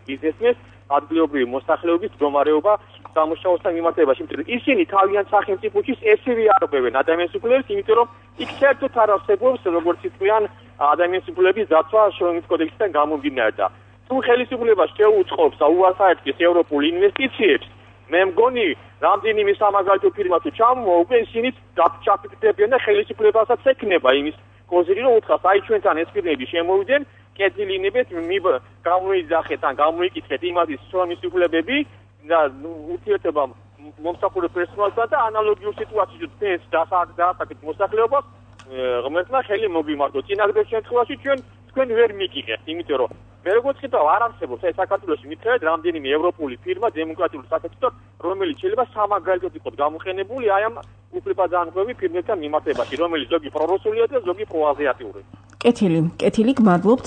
S6: ბიზნესმენს ადგილობრივი მოსახლეობის მდგომარეობა სამუშაოსთან მიმართებაში, იმიტომ რომ ისინი თავიანთ სახელმწიფოში ესევე არღვევენ ადამიანის უფლებებს, იმიტომ რომ იქ საერთოდ არ არსებობს როგორც იტყვიან ადამიანის უფლებების დაცვა შრომის კოდექსიდან გამომდინარე და თუ ხელისუფლება შეუწყობს და უარსაერთგეს ევროპულ ინვესტიციებს, მე მგონი რამდენიმე სამაგალითო ფირმა თუ ჩამოვა, უკვე ისინი ჩაფიქრდებიან და ხელისუფლებასაც ექნება იმის კოზირი, რომ უთხრას, აი ჩვენთან ეს ფირმები შემოვიდნენ, კეთილინებეთ, გამოიძახეთ ან გამოიკითხეთ იმათის შრომის უფლებები და ურთიერთობა მომსახურე პერსონალთან და ანალოგიურ სიტუაციებში თქვენს დაასაკეთ მოსახლეობას ღმერთმა ხელი მოგიმართოთ. წინაგრძელ შემთხვევაში თქვენ ვერ მიგიღებთ, იმიტომ რომ მე როგორც ხედავ არ არსებობს აი საქართველოში მითხრეთ რამდენიმე ევროპული ფირმა დემოკრატიული სახელმწიფო, რომელიც შეიძლება სამაგალითოდ იყოს გამოყენებული აი ამ უფლებადანხვევი ფირმებთან მიმართებაში, რომელიც ზოგი პრორუსულია და ზოგი პროაზიატიური.
S2: კეთილი, გმადლობთ.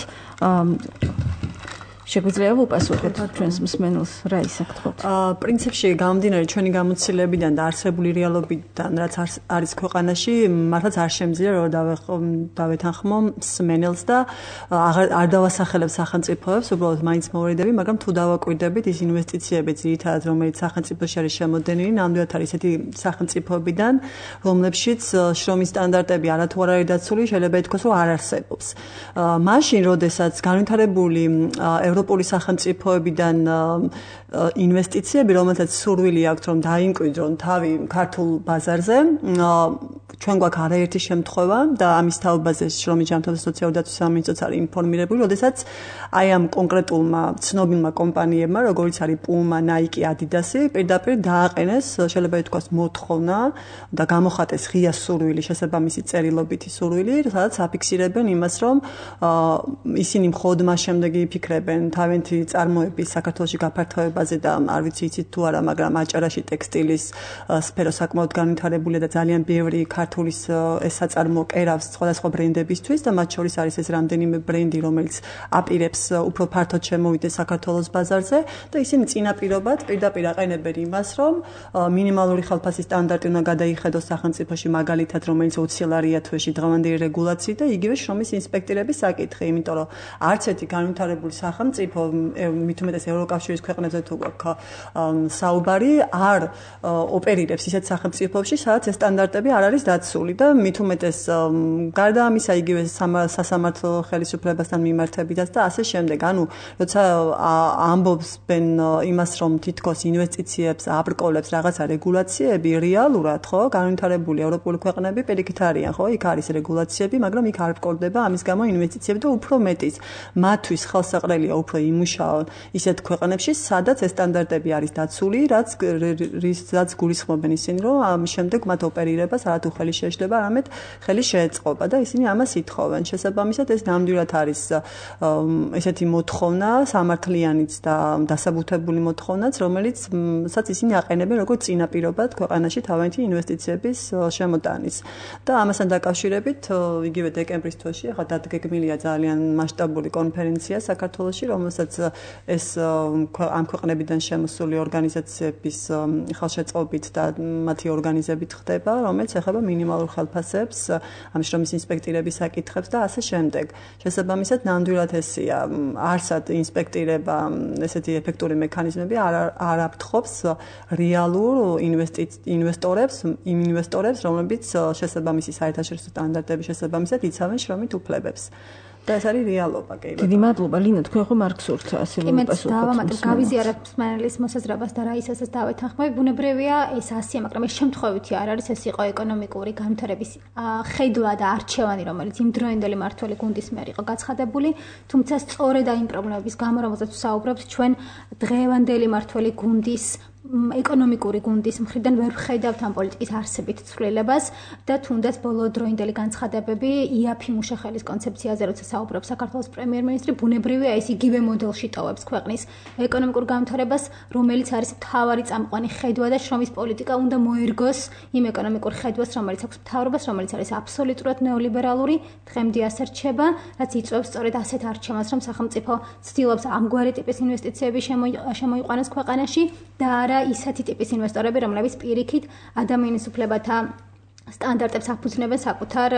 S2: შეგვიძლია ვუპასუხოთ ჩვენს მსმენელს რა ისაკეთოთ?
S4: პრინციპში გამომდინარე ჩვენი გამოცდილებიდან და არსებული რეალობიდან, რაც არის ქვეყანაში, მართლაც არ შემიძლია რომ დავეთანხმო მსმენელს და არ დავასახელებ სახელმწიფოებს, უბრალოდ მაინც მოვიდები, მაგრამ თუ დავაკვირდებით ის ინვესტიციები ძირითადად რომელიც სახელმწიფოში არის შემოდენილი, ნამდვილად არის ესეთი სახელმწიფოებიდან, რომლებშიც შრომის სტანდარტები არათუ არ არის დაცული, შეიძლება ითქვას, რომ არ არსებობს. მაშინ, როდესაც განვითარებული ევროპული სახელმწიფოებიდან ინვესტიციები, რომელთაც სურვილი აქვს, რომ დაიმკვიდრონ თავი ქართულ ბაზარზე, ჩვენ გვაქვს არაერთი შემთხვევა და ამის თაობაზე შრომის ჯანმრთელობის სოციალური დაცვის სამინისტროც არის ინფორმირებული, როდესაც აი ამ კონკრეტულმა ცნობილმა კომპანიებმა, როგორიც არის პუმა, ნაიკი, ადიდასი, პირდაპირ დააყენეს, შეიძლება ითქვას, მოთხოვნა და გამოხატეს ღია სურვილი, შესაბამისი წერილობითი სურვილი, სადაც აფიქსირებენ იმას, რომ ისინი მხოლოდ მას შემდეგ იფიქრებენ თავიანთი წარმოების საქართველოში გაფართოებაზე და არ ვიცი იცით თუ არა, მაგრამ აჭარაში ტექსტილის სფერო საკმაოდ განვითარებულია და ძალიან ბევრი ქართულის ეს საწარმო კერავს სხვადასხვა ბრენდებისთვის და მათ შორის არის ეს რამდენიმე ბრენდი, რომელიც აპირებს უფრო ფართოდ შემოვიდეს საქართველოს ბაზარზე და ისინი წინაპირობად პირდაპირ აყენებენ იმას, რომ მინიმალური ხელფასის სტანდარტი უნდა გადაიხედოს სახელმწიფოში, მაგალითად, რომელიც 20 ლარია თვეში დღევანდელი რეგულაციით და იგივე შრომის ინსპექტირების საკითხი, იმიტომ რომ არც ერთი განვითარებული სახელმწიფო, მით უმეტეს ევროკავშირის ქვეყნებზე თუ გვაქვს საუბარი, არ ოპერირებს ისეთ სახელმწიფოებში, სადაც ეს სტანდარტები არ არის დაცული და მით უმეტეს გარდა ამისა იგივე სასამართლო ხელისუფლებასთან მიმართებითაც და ასე შემდეგ. ანუ როცა ამბობენ იმას, რომ თითქოს ინვესტიციებს აბრკოლებს რაღაცა რეგულაციები, რეალურად ხო, განვითარებული ევროპული ქვეყნები პირიქით არიან, ხო, იქ არის რეგულაციები, მაგრამ იქ არ ბრკოლდება ამის გამო ინვესტიციები და უფრო მეტიც მათთვის ხელსაყრელია უფრო იმუშაონ ისეთ ქვეყნებში, სადაც ეს სტანდარტები არის დაცული, რაც გულისხმობენ ისინი, რომ ამ შემდეგ მათ ოპერირებას არათუ ხელი შეეშლება, არამედ ხელი შეეწყობა და ისინი ამას ითხოვენ. შესაბამისად ეს ნამდვილად არის ესეთი მოთხოვნა, სამართლიანიც და დასაბუთებული მოთხოვნაც, რომელიცაც ისინი აყენებენ როგორც წინაპირობად ქვეყანაში თავიანთი ინვესტიციების შემოტანის. და ამასთან დაკავშირებით იგივე დეკემბრის თვეში ახლა დადგეგმილია ძალიან მასშტაბური კონფერენცია საქართველოში, რომელსაც ეს ამ ქვეყნებიდან შემოსული ორგანიზაციების ხელშეწყობით და მათი ორგანიზებით ხდება, რომელიც ეხება მინიმალურ ხელფასებს, ამ შრომის ინსპექტირების საკითხებს და ასე შემდეგ. შესაბამისად, ნამდვილად ესია, არსად ინსპექტირება, ესეთი ეფექტური მექანიზმები არ აფრთხობს რეალურ ინვესტორებს, რომლებიც შესაბამისი საერთაშორისო სტანდარტების შესაბამისად იცავენ შრომით უფლებებს. და ეს არის რეალობა კი.
S2: დიდი მადლობა ლინო, თქვენ ხომ არ გსურთ ასეულ პასუხს?
S3: გავიზიარებ მსმენელის მოსაზრებას და რაისასაც დავეთანხმები, ბუნებრივია ეს ასია, მაგრამ ეს შემთხვევითი არ არის, ეს იყო ეკონომიკური განვითარების ხედვა და არჩევანი, რომელიც იმ დროინდელი მმართველი გუნდის მიერ იყო გაცხადებული, თუმცა სწორედ იმ პრობლემების გამო, რომელზეც ვსაუბრობთ, ჩვენ დღევანდელი მმართველი გუნდის ეკონომიკური გუნდის მხრიდან ვერ ვხედავთ ამ პოლიტიკის არსებით ცვლილებას და თუნდაც ბოლო დროინდელი განცხადებები იაფი მუშახელის კონცეფციაზე როცა საუბრობს საქართველოს პრემიერ-მინისტრი, ბუნებრივია ეს იგივე მოდელში ტოვებს ქვეყნის ეკონომიკურ განვითარებას, რომელიც არის მთავარი წამყვანი ხედვა და შრომის პოლიტიკა უნდა მოერგოს იმ ეკონომიკურ ხედვას, რომელიც აქვს მთავრობას, რომელიც არის აბსოლუტურად ნეოლიბერალური, დღემდე ასე რჩება, რაც იწვევს სწორედ ასეთ არჩევანს, რომ სახელმწიფო ცდილობს ამგვარი ტიპის ინვესტიციები შემოიყვანოს ქვეყანაში და არა ისეთი ტიპის ინვესტორები, რომლებიც პირიქით ადამიანის უფლებათა სტანდარტებს აფუძნებენ საკუთარ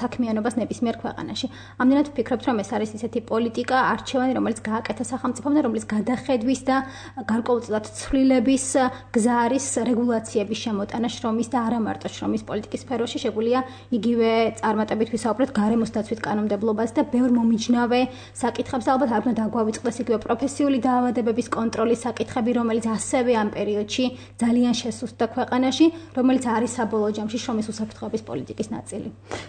S3: საქმიანობას ნებისმიერ ქვეყანაში. ამდენად ვფიქრობთ, რომ ეს არის ისეთი პოლიტიკა, არჩევანი, რომელიც გააკეთა სახელმწიფომ და რომელიც გადახედვის და გარკვეულწილად ცვლილების გზა არის რეგულაციების შემოტანა შრომის და არა მარტო შრომის პოლიტიკის სფეროში. შეგვიძლია იგივე წარმატებით ვისაუბროთ გარემოს დაცვით კანონმდებლობას და ბევრ მომიჯნავე საკითხებს და ალბათ არ უნდა დაგვავიწყდეს იგივე პროფესიული დაავადებების კონტროლის საკითხები, რომელიც ასევე ამ პერიოდში ძალიან შესუსტდა ქვეყანაში, რომელიც არის საბოლოო ჯამში შრომის უსაფრთხოების პოლიტიკის ნაწილი.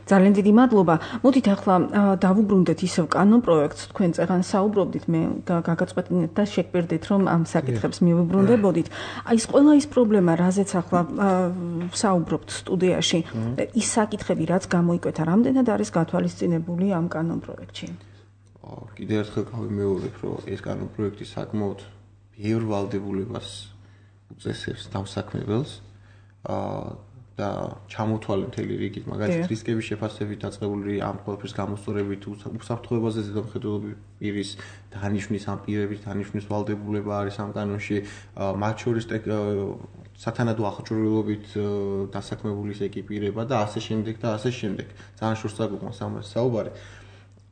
S2: ძალიან დიდი მადლობა. მოდით ახლა დავუბრუნდეთ ისევ კანონ პროექტს. თქვენ წეგან საუბრობდით, მე გაგაწყვეტინეთ და შეგპირდით, რომ ამ საკითხებს მივუბრუნდებოდით. აი ეს ყველა ის პრობლემა, რაზეც ახლა საუბრობთ სტუდიაში, ის საკითხები, რაც გამოიკვეთა, რამდენად არის გათვალისწინებული ამ კანონ პროექტში?
S5: კიდევ ერთხელ გავიმეორებ, რომ ეს კანონ პროექტი საკმაოდ ბევრ ვალდებულებას უწესებს დამსაქმებელს. და ჩამოთვალე მთელი რიგით, მაგალითად რისკების შეფასებით დაწყებული ამ ყველაფრის გამოსწორებით, უსაფრთხოებაზე ზედამხედველობის პირის დანიშვნის, ამ პირების დანიშვნის ვალდებულება არის ამ კანონში, მათ შორის სათანადო აღჭურვილობით დასაქმებული ეკიპირება და ასე შემდეგ და ასე შემდეგ. ძალიან შორს წაგვიყვანს ამაზე საუბარი.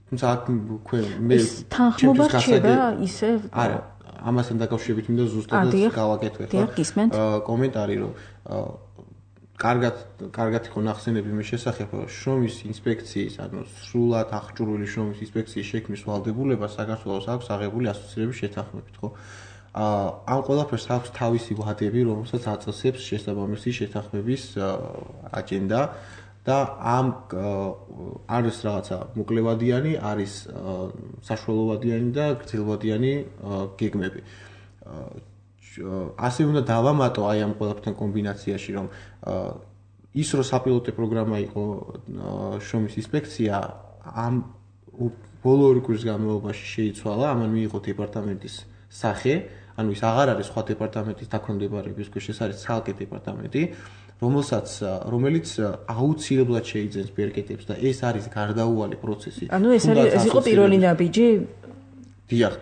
S5: თუმცა აქ მე
S2: თანხმობა რჩება ისე
S5: არა, ამასთან დაკავშირებით მინდა ზუსტად გავაკეთოთ კომენტარი, რომ კარგად იყო ნახსენები მე შესახებ შრომის ინსპექციის, ანუ სრულად აღჭურვილი შრომის ინსპექციის შექმნის ვალდებულება საქართველოს აქვს აღებული ასოცირების შეთანხმებით, ხო? ამ ყველაფერს აქვს თავისი ვადები, რომელსაც აწესებს შესაბამისი შეთანხმების აჯენდა და ამ არის რაღაცა მოკლევადიანი, არის საშუალოვადიანი და გრძელვადიანი გეგმები. ასე უნდა დავამატო აი ამ ყველაფერთან კომბინაციაში, რომ ის რო საპილოტო პროგრამა იყო შრომის ინსპექცია, ამ ბოლო ორი კვირის განმავლობაში შეიცვალა, ამან მიიღო დეპარტამენტის სახე, ანუ ის აღარ არის სხვა დეპარტამენტის დაქვემდებარების ქვეშ, ეს არის ცალკე დეპარტამენტი, რომელიც აუცილებლად შეიძენს ბერკეტებს და ეს არის გარდაუვალი პროცესი.
S2: ანუ ეს იყო პირველი ნაბიჯი?
S5: დიახ,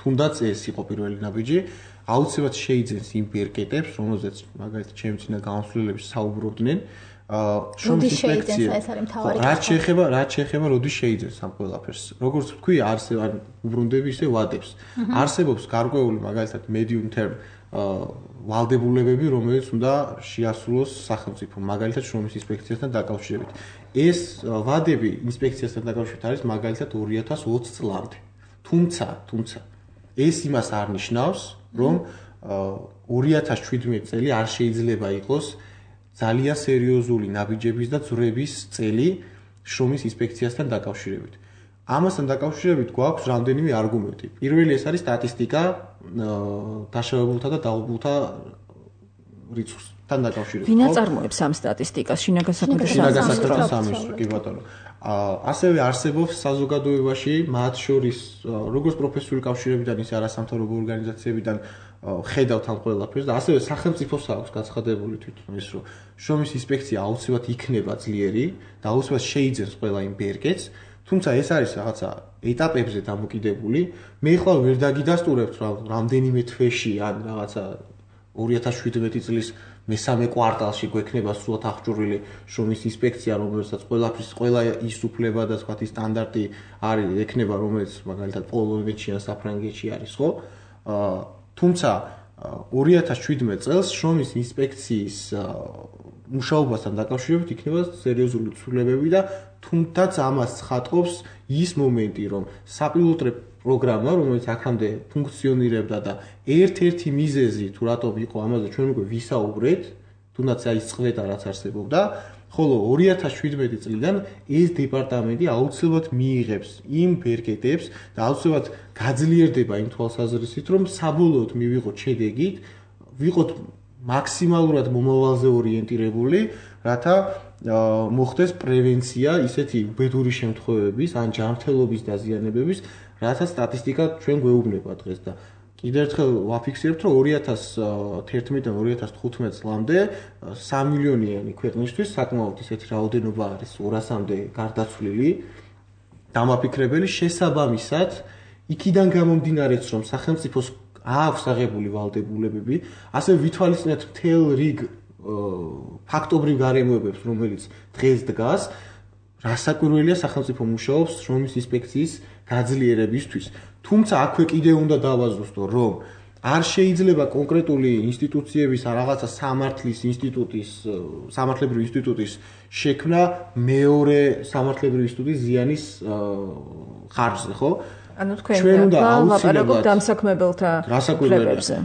S5: თუნდაც ეს იყო პირველი ნაბიჯი. აუცილებლად შეიძენს იმ ბერკეტებს, რომელზეც მაგალითად ჩემი წინა გამოსვლელებში საუბრობდნენ, შრომის ინსპექცია. რაც შეეხება როდის შეიძენს ამ ყველაფერს. როგორც ვთქვი, უბრუნდები ისე ვადებს. არსებობს გარკვეული მაგალითად medium term ვალდებულებები, რომელიც უნდა შეასრულოს სახელმწიფო, მაგალითად შრომის ინსპექციასთან დაკავშირებით. ეს ვადები ინსპექციასთან დაკავშირებით არის მაგალითად 2020 წლამდე. თუმცა ეს იმას არ ნიშნავს, რომ 2017 წელი არ შეიძლება იყოს ძალიან სერიოზული ნაბიჯების და ძვრების წელი შრომის ინსპექციასთან დაკავშირებით. ამასთან დაკავშირებით გვაქვს რამდენიმე არგუმენტი. პირველი ეს არის სტატისტიკა დაშავებულთა და დაღუპულთა რიცხვთან დაკავშირებით.
S2: ვინ აწარმოებს ამ სტატისტიკას? შინაგან
S5: საქმეთა სამინისტრო, კი ბატონო. ასევე არსებობს საზოგადოებაში, მათ შორის როგორც პროფესიული კავშირებიდან, ისე არასამთავრობო ორგანიზაციებიდან ხედავთ ამ ყველაფერს და ასევე სახელმწიფოს აქვს გაცხადებული თვითონ ის, რომ შრომის ინსპექცია აუცილებლად იქნება ძლიერი და აუცილებლად შეიძენს ყველა იმ ბერგეთს, თუმცა ეს არის რაღაცა ეტაპებზე დამოკიდებული. მე ხვალ ვერ დაგიდასტურებთ, რომ რამდენიმე თვეში ან რაღაცა 2017 წლის მესამე კვარტალში გვექნება სრულად აღჭურვილი შრომის ინსპექცია, რომელსაც ყველა ის უფლება და სხვა სტანდარტი არის ექნება, რომელიც მაგალითად პოლონეთში ან საფრანგეთში არის, ხო? თუმცა 2017 წელს შრომის ინსპექციის მუშაობასთან დაკავშირებით იქნება სერიოზული ცვლილებები და თუმცა ამას ცხადყოფს ის მომენტი, რომ საპილოტო პროგრამა, რომელიც აქამდე ფუნქციონირებდა და ერთ-ერთი მიზეზი თუ რატომ იყო ამაზე ჩვენ უკვე ვისაუბრეთ, თუნდაც ის წვედა რაც არსებობდა, ხოლო 2017 წლიდან ეს დეპარტამენტი აუცილებლად მიიღებს იმ ბერგეთებს და აუცილებლად გაძლიერდება იმ თვალსაზრისით, რომ საბოლოოდ მივიღოთ შედეგით, ვიყოთ მაქსიმალურად მომავალზე ორიენტირებული, რათა მოხდეს პრევენცია ისეთი უბედური შემთხვევების ან ჯანმრთელობის დაზიანებების, რათა სტატისტიკა ჩვენ გვეუბნება დღეს და კიდევ ერთხელ ვაფიქსირებთ, რომ 2011-დან 2015 წლამდე 3 მილიონიანი ქვეყნისთვის საკმაოდ ისეთი რაოდენობა არის 200-მდე გარდაცვლილი დამაფიქრებელი შესაბამისად იქიდან გამომდინარეც, რომ სახელმწიფოს აქვს აღებული ვალდებულებები, ასევე ვითვალისწინებთ მთელ რიგ ფაქტობრივ გარემოებებს, რომელიც დღეს დგას, რასაკვირველია სახელმწიფო მუშაობს შრომის ინსპექციის გაძლიერებისთვის. თუმცა აქვე კიდევ უნდა დავაზუსტო, რომ არ შეიძლება კონკრეტული ინსტიტუციების ან რაღაცა სამართლის ინსტიტუტის, სამართლებრივი ინსტიტუტის შექმნა მეორე სამართლებრივი ინსტიტუტის ზიანის ხარჯზე, ხო?
S2: ანუ თქვენ უნდა აუცილებლად დამსაქმებელთა უფლებებზე.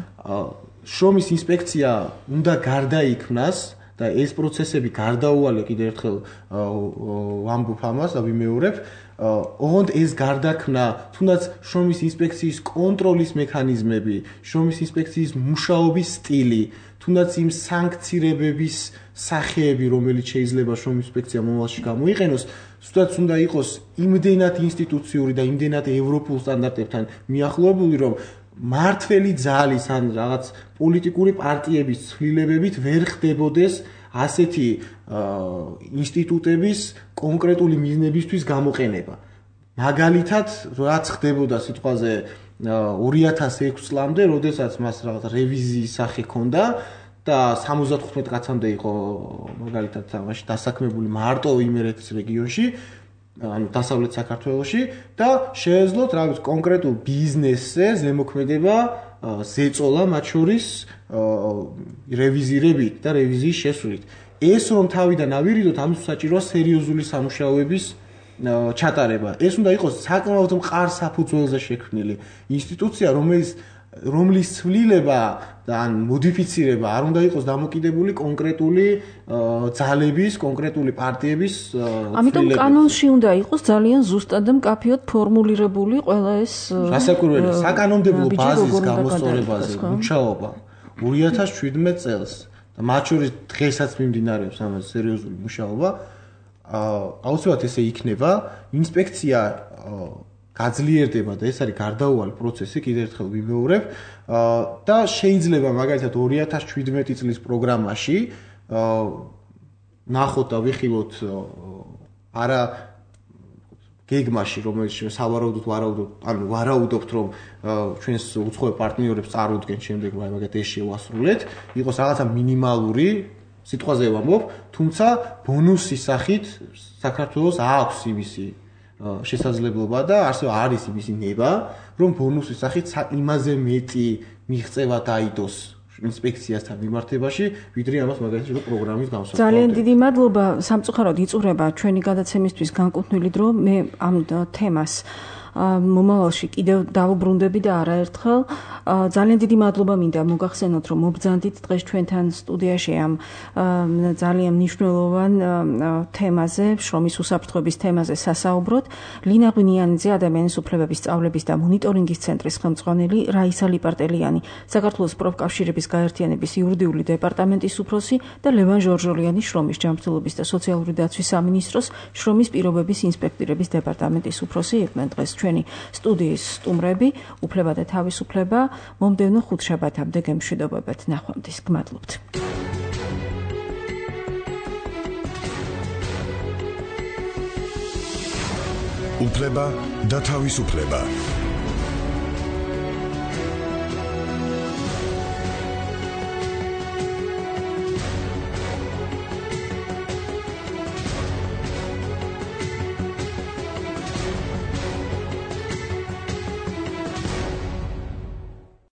S5: შრომის ინსპექცია უნდა გარდაიქმნას და ეს პროცესები გარდაუვალე კიდევ ერთხელ ვამბობ ამას და ვიმეორებ, ოღონდ ეს გარდაქმნა, თუნდაც შრომის ინსპექციის კონტროლის მექანიზმები, შრომის ინსპექციის მუშაობის სტილი, თუნდაც იმ სანქცირებების სახეები, რომელიც შეიძლება შრომის ინსპექცია მომავალში გამოიყენოს, თუნდაც უნდა იყოს იმდენად ინსტიტუციური და იმდენად ევროპულ სტანდარტებთან მიახლოებული, რომ მართველი ძალის ან რაღაც პოლიტიკური პარტიების ცვლილებებით ვერ ხდებოდეს ასეთი ინსტიტუტების კონკრეტული მიზნებისთვის გამოყენება. მაგალითად, რაც ხდებოდა სიტყვაზე 2006 წლამდე, როდესაც მას რაღაც რევიზიის სახე ჰქონდა და 75 კაცამდე იყო მაგალითად ამაში დასაქმებული მარტო იმერეთის რეგიონში, ანუ დასავლეთ საქართველოში და შეეძლოთ რაღაც კონკრეტულ ბიზნესზე ზემოქმედება ზეწოლა მათ შორის რევიზირებით და რევიზიის შესვლით. ეს რომ თავიდან ავირიდოთ, ამის საჭიროა სერიოზული სამუშაოების ჩატარება. ეს უნდა იყოს საკმაოდ მყარ საფუძველზე შექმნილი ინსტიტუცია, რომლის ცვლილება ან მოდიფიცირება არ უნდა იყოს დამოკიდებული კონკრეტული ძალების, კონკრეტული პარტიების
S2: ამიტომ კანონში უნდა იყოს ძალიან ზუსტად და მკაფიოდ ფორმულირებული ყველა ეს
S5: რასაკვირველია საკანონმდებლო ბაზის გამოსწორებაზე მუშაობა 2017 წელს და მათ შორის დღესაც მიმდინარეობს ამაზე სერიოზული მუშაობა. აუცილებლად ესე იქნება, ინსპექცია გაძლიერდება და ეს არის გარდაუვალი პროცესი, კიდევ ერთხელ ვიმეორებ და შეიძლება მაგალითად 2017 წლის პროგრამაში ნახოთ და ვიხილოთ არა გეგმაში, რომელიც სავარაუდოდ ვარაუდობთ, რომ ჩვენს უცხოელ პარტნიორებს წარუდგენ შემდეგ, მაგათ ეს შევასრულეთ, იყოს რაღაცა მინიმალური სიტყვაზე ვამბობ, თუმცა ბონუსის სახით საქართველოს აქვს იმისი შესაძლებლობა და ასევე არის იმისი ნება, რომ ბონუსის სახით იმაზე მეტი მიღწევა დაიდოს ინსპექციასთან მიმართებაში, ვიდრე ამას მაგალითად პროგრამის გამოსაყრად.
S2: ძალიან დიდი მადლობა. სამწუხაროდ იწურება ჩვენი გადაცემისთვის განკუთვნილი დრო. მე ამ თემას მომავალში კიდევ დავუბრუნდები და არაერთხელ. ძალიან დიდი მადლობა მინდა მოგახსენოთ, რომ მობრძანდით დღეს ჩვენთან სტუდიაში ამ ძალიან მნიშვნელოვან თემაზე, შრომის უსაფრთხოების თემაზე სასაუბროთ. ლინა ღვინიანიძე, ადამიანის უფლებების სწავლების და მონიტორინგის ცენტრის ხელმძღვანელი, რაისა ლიპარტელიანი, საქართველოს პროფკავშირების გაერთიანების იურიდიული დეპარტამენტის უფროსი და ლევან ჟორჟოლიანი, შრომის ჯანმრთელობის და სოციალური დაცვის სამინისტროს შრომის პირობების ინსპექტირების დეპარტამენტის უფროსი იყვნენ დღეს ჩვენი სტუდიის სტუმრები. უფლება და თავისუფლება. მომდევნო ხუთშაბათამდე გემშვიდობებთ. ნახვამდის. გმადლობთ.
S1: უფლება და თავისუფლება.